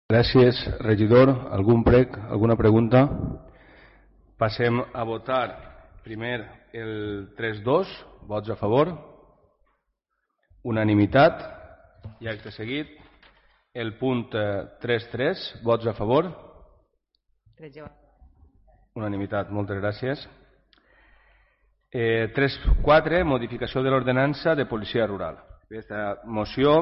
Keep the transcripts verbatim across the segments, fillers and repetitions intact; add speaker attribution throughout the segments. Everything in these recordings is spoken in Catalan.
Speaker 1: Gràcies, regidor. Algun prec, alguna pregunta? Passem a votar primer el tres dos, vots a favor, unanimitat, i acte seguit el punt tres tres, vots a favor, unanimitat, moltes gràcies. Eh, tres quatre, modificació de l'ordenança de policia rural. Aquesta moció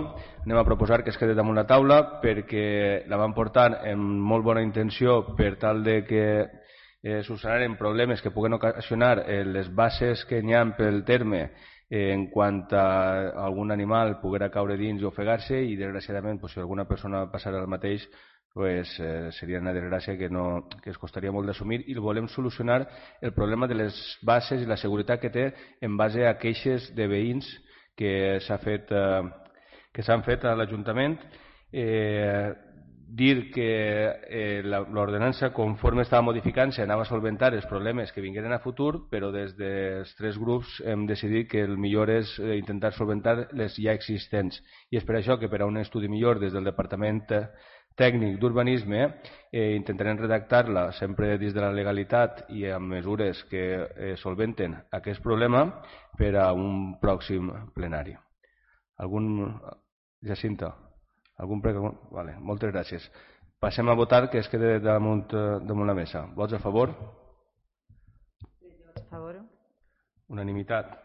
Speaker 1: anem a proposar que es quedi damunt la taula perquè la vam portar amb molt bona intenció per tal de que eh, solucionaren problemes que puguen ocasionar eh, les bases que n'hi ha pel terme eh, en quant a algun animal poguera caure dins i ofegar-se, i desgraciadament pues, si alguna persona passarà el mateix pues, eh, seria una desgràcia que, no, que es costaria molt d'assumir, i volem solucionar el problema de les bases i la seguretat que té en base a queixes de veïns que s'ha fet, eh, que s'han fet a l'Ajuntament. Eh, dir que eh, l'ordenança, conforme estava modificant-se, anava a solventar els problemes que vingueren a futur, però des dels tres grups hem decidit que el millor és eh, intentar solventar les ja existents, i és per això que per a un estudi millor des del Departament Tècnic d'Urbanisme eh, intentarem redactar-la sempre dins de la legalitat i amb mesures que eh, solventen aquest problema per a un pròxim plenari. Algun... Jacinta? Algun prec... Vale, moltes gràcies. Passem a votar, que es quede damunt, damunt la mesa. Vots a favor?
Speaker 2: A favor.
Speaker 1: Unanimitat.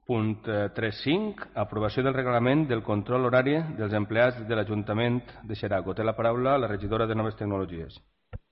Speaker 1: Punt tres cinc. Aprovació del reglament del control horari dels empleats de l'Ajuntament de Xeraco. Té la paraula la regidora de Noves Tecnologies.